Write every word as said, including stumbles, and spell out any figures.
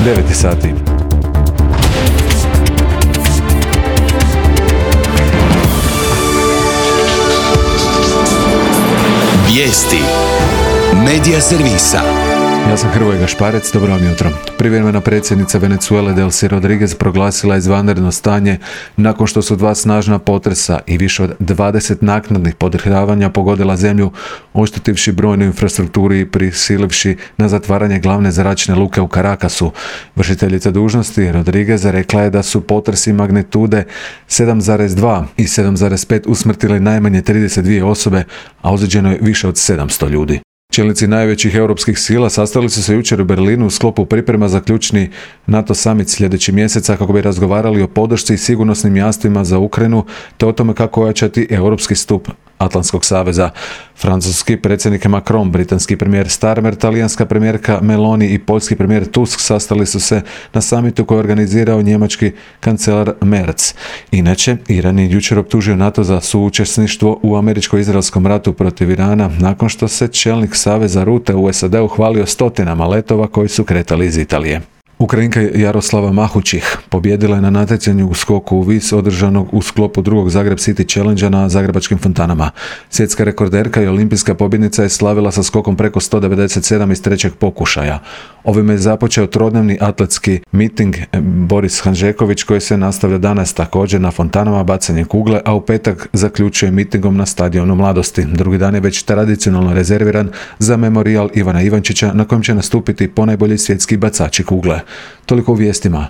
devet sati. Vijesti Medija servisa. Ja sam Hrvoje Gašparec, dobro vam jutro. Privremena predsjednica Venezuele Delcy Rodriguez proglasila izvanredno stanje nakon što su dva snažna potresa i više od dvadeset naknadnih podrhtavanja pogodila zemlju, oštetivši brojnu infrastrukturu i prisilivši na zatvaranje glavne zračne luke u Caracasu. Vršiteljica dužnosti Rodriguez rekla je da su potresi magnitude sedam zarez dva i sedam zarez pet usmrtili najmanje trideset dvije osobe, a ozlijeđeno je više od sedamsto ljudi. Čelnici najvećih europskih sila sastali su se jučer u Berlinu u sklopu priprema za ključni NATO summit sljedeći mjesec kako bi razgovarali o podršci i sigurnosnim jamstvima za Ukrajinu te o tome kako ojačati europski stup Atlantskog saveza. Francuski predsjednik Macron, britanski premijer Starmer, talijanska premijerka Meloni i poljski premijer Tusk sastali su se na samitu koji je organizirao njemački kancelar Merz. Inače, Iran je jučer optužio NATO za suučesništvo u američko-izraelskom ratu protiv Irana nakon što se čelnik saveza Rute u S A D-u hvalio stotinama letova koji su kretali iz Italije. Ukrajinka Jaroslava Mahučih pobjedila je na natjecanju u skoku u vis održanog u sklopu drugog Zagreb City Challenge na zagrebačkim fontanama. Svjetska rekorderka i olimpijska pobjednica je slavila sa skokom preko sto devedeset sedam iz trećeg pokušaja. Ovime je započeo trodnevni atletski miting Boris Hanžeković koji se nastavlja danas također na fontanama bacanje kugle, a u petak zaključuje mitingom na stadionu Mladosti. Drugi dan je već tradicionalno rezerviran za memorijal Ivana Ivančića na kojem će nastupiti ponajbolji svjetski bacači kugle. Toliko u vijestima.